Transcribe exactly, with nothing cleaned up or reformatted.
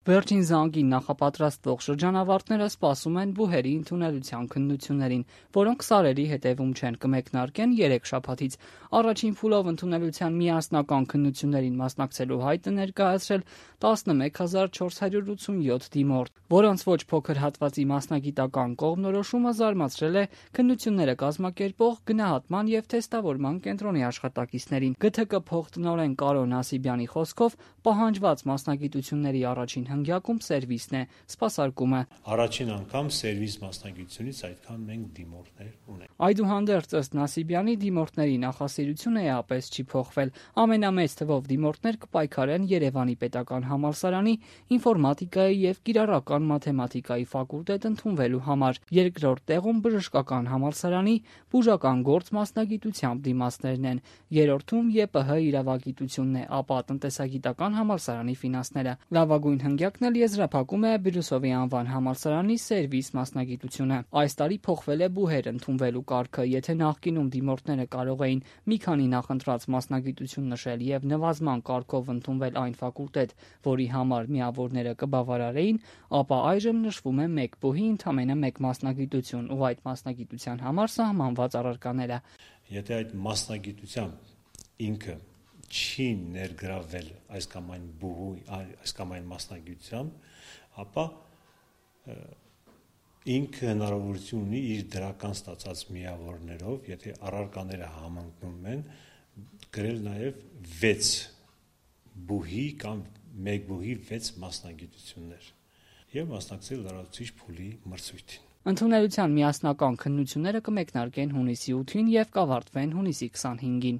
Վերջին զանգին նախապատրաստվող շրջանավարտները սպասում են բուհերի ընդունելության քննություններին, որոնք սարերի հետևում չեն, կմեկնարկեն երեք շաբաթից։ Առաջին փուլով ընդունելության միասնական քննություններին մասնակցելու հայտ է ներկայացրել տասնմեկ հազար չորս հարյուր ութսունյոթ դիմորդ, որոնց ոչ փոքր հատվածի մասնագիտական կողմնորոշումը զարմացրել է քննությունները կազմակերպող գնահատման եւ թեստավորման կենտրոնի աշխատակիցներին։ ԳԹԿ փոխտնօրեն Կարո Նասիբյանի խոսքով պահանջված մասնագիտությունների առաջին հնգյակում սերվիսն է, սպասարկումը։ Առաջին անգամ սերվիս մասնագիտությունից այդքան մենք դիմորդներ ունենք։ Այդուհանդերձ, ըստ Նասիբյանի, դիմորդների նախասիրությունը էապես չի փոխվել։ Ամենամեծ թվով դիմորդներ կպայքարեն Երևանի պետական համալսարանի ինֆորմատիկայի եւ կիրառական մաթեմատիկայի ֆակուլտետ ընդունվելու համար։ Երկրորդ տեղում բժշկական համալսարանի բուժական գործ մասնագիտությամբ դիմացներն են։ Երրորդում ԵՊՀ իրավագիտությունն է, ապա տնտեսագիտական համալսարանի ֆինանսները։ Լավագույն հնգյակն էլ եզրափակում է Բիրուսովի անվան համալսարանի սերվիս մասնագիտությունը։ Այս տարի փոխվել է բուհեր ընդունվելու կարգը։ Եթե նախկինում դիմորդները կարող էին մի քանի նախընտրած մասնագիտություն նշել եւ նվազման կարգով ընդունվել այն ֆակուլտետ, որի համար միավորները կբավարարեին, ապա այժմ նշվում է մեկ բուհի ընդամենը մեկ մասնագիտություն ու այդ մասնագիտության համար սահմանված առարկաները։ Եթե այդ մասնագիտությամբ ինքը չի ներգրավել այս կամ այն բուհու, այս կամ այն մասնագիտությամբ, ապա ինքը հնարավորություն ունի իր դրական ստացած միավորներով, եթե առարկաները համընկնում են, գրել նաև վեց բուհի կամ մեկ բուհի վեց մասնագիտություններ եւ մասնակցել լրացուցիչ փուլի մրցույթին։ Ընդունելության միասնական քննությունները կմեկնարկեն հունիսի ութին եւ կավարտվեն հունիսի քսանհինգին։